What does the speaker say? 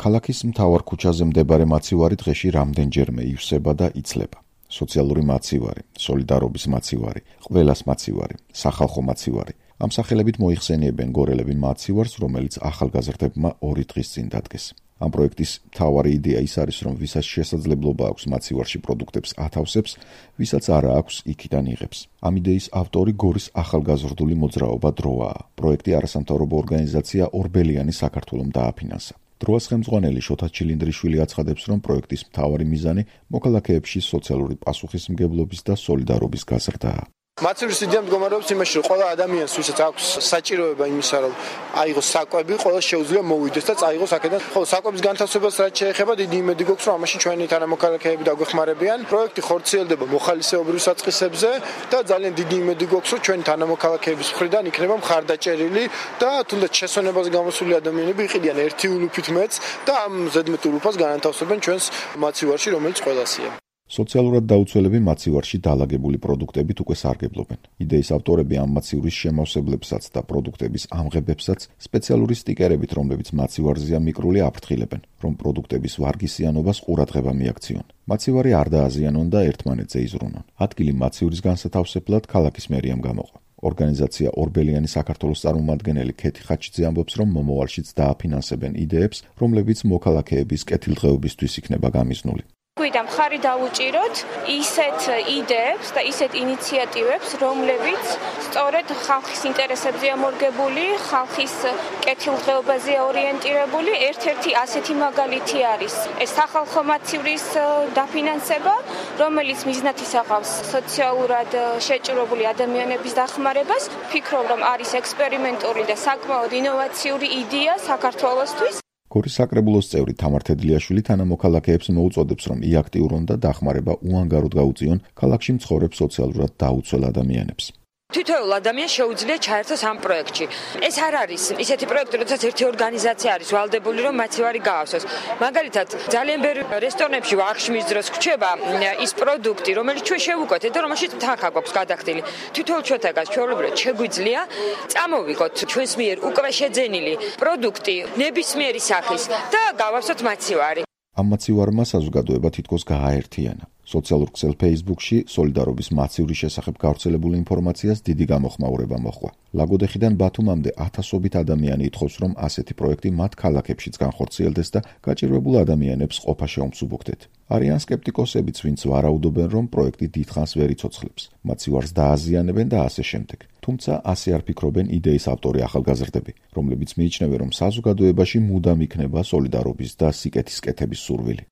ქალაქის მთავარ ქუჩაზე მდებარე მაცივარი დღეში რამდენჯერმე ივსება და იცლება. სოციალური მაცივარი, სოლიდარობის მაცივარი, ყველას მაცივარი, სახალხო მაცივარი. ამ სახელებით მოიხსენიებენ გორელები მაცივარს, რომელიც ახალგაზრდებმა 2 დღის წინ დადგეს. ამ პროექტის მთავარი იდეა ის არის, რომ ვისაც შესაძლებლობა აქვს მაცივარში პროდუქტებს ათავსებს, ვისაც არა აქვს, იქიდან იღებს. ამ იდეის ავტორი გორის ახალგაზრდული მოძრაობა დროაა. პროექტი არასამთავრობო ორგანიზაცია ორბელიანი საქართველომ დააფინანსა. დროას ხელმძღვანელი შოთა ჩილინდრიშვილი აცხადებს, რომ პროექტის მთავარი მიზანი მოქალაქეებში სოციალური პასუხისმგებლობის და სოლიდარობის გაზრდაა. მაცივრის იდეა მდგომარეობს იმაში, რომ ყველა ადამიანს, ვისაც აქვს საჭიროება იმისა, რომ აიღოს საკვები, ყველა შეუძლია მოვიდეს და წაიღოს აქედან. ხოლო საკვების განთავსებას რაც შეეხება, დიდი იმედი გვაქვს, რომ ამაში ჩვენი თანამოქალაქეები დაგვეხმარებიან. პროექტი ხორციელდება მოხალისეობრივ საწყისებზე და ძალიან დიდი იმედი გვაქვს, რომ ჩვენი თანამოქალაქეების მხრიდან იქნება მხარდაჭერილი და თუნდაც შესვენებაზე გამოსული ადამიანები იყიდიან ერთი ულუფით მეც და ამ ზედმეტ ულუფას განათავსებენ ჩვენს მაცივარში, რომელიც ყველასია. სოციალურად დაუცველები მაცივარში დაალაგებული პროდუქტებით უკვე სარგებლობენ. იდეის ავტორები ამ მაცივრის შემავსებლებსაც და პროდუქტების ამღებებსაც სპეციალური სტიკერებით, რომლებიც მაცივარზეა მიკრული, აფრთხილებენ, რომ პროდუქტების ვარგისიანობას ყურადღება მიაქციონ. მაცივარი არ დააზიანონ და ერთმანეთზე იზრუნონ. ადგილი მაცივრის განსათავსებლად ქალაქის მერიამ გამოყო. ორგანიზაცია ორბელიანი საქართველოს წარმომადგენელი ქეთი ხაჩიძე ამბობს, რომ მომავალშიც დააფინანსებენ იდეებს, რომლებიც მოქალაქეების კეთილდღეობისთვის იქნება გამიზნული. გვიდა მხარი დავუჭიროთ ისეთ იდეებს და ისეთ ინიციატივებს, რომლებიც სწორედ ხალხის ინტერესებზეა მორგებული, ხალხის კეთილდღეობაზეა ორიენტირებული. ერთ-ერთი ასეთი მაგალითი არის ეს სახალხო მაცივრის დაფინანსება, რომელიც მიზნად ისახავს სოციალურად შეჭრებული ადამიანების დახმარებას. ფიქრობ, რომ არის ექსპერიმენტული და საკმაოდ ინოვაციური იდეა საქართველოსთვის. გორის საკრებულოს წევრი თამარ თედლიაშვილი თანამოქალაქეებს მოუწოდებს, რომ იაქტიურონ და დახმარება უანგაროდ გაუწიონ ქალაქში მცხოვრებ სოციალურად დაუცველ ადამიანებს. თითოეულ ადამიანს შეუძლია ჩაერთოს ამ პროექტში. ეს არ არის ისეთი პროექტი, როდესაც ერთი ორგანიზაცია არის ვალდებული, რომ მაცივარი გაავსოს. მაგალითად, ძალიან ბევრი რესტორნებში აღშმის დროს გვჩება ის პროდუქტი, რომელიც ჩვენ შევუკვეთეთ და რომელშიც თანხა გვაქვს გადახდილი. თითოეულ ჩვენთაგან ჩვეულებრივად შეგვიძლია წამოვიღოთ ჩვენს მიერ უკვე შეძენილი პროდუქტი ნებისმიერი სახის და გავავსოთ მაცივარი. ამ მაცივარმა საზოგადოება თითქოს გააერთიანა. სოციალურ ქსელ Facebook-ში სოლიდარობის მაცივრის შესახებ გავრცელებული ინფორმაციას დიდი გამოხმაურება მოჰყვა. ლაგოდეხიდან ბათუმამდე ათასობით ადამიანი ითხოვს, რომ ასეთი პროექტი მათ ქალაქებშიც განხორციელდეს და გაჭირვებულ ადამიანებს ყოფა შეუმსუბუქდეთ. არიან სკეპტიკოსებიც, ვინც ვარაუდობენ, რომ პროექტი დიდხანს ვერ იცოცხლებს, მაცივარს დააზიანებენ და ასე შემდეგ. თუმცა ასე არ ფიქრობენ იდეის ავტორი ახალგაზრდები, რომლებიც მიიჩნევენ, რომ საზოგადოებაში მუდამ იქნება სოლიდარობის და სიკეთის კეთების სურვილი.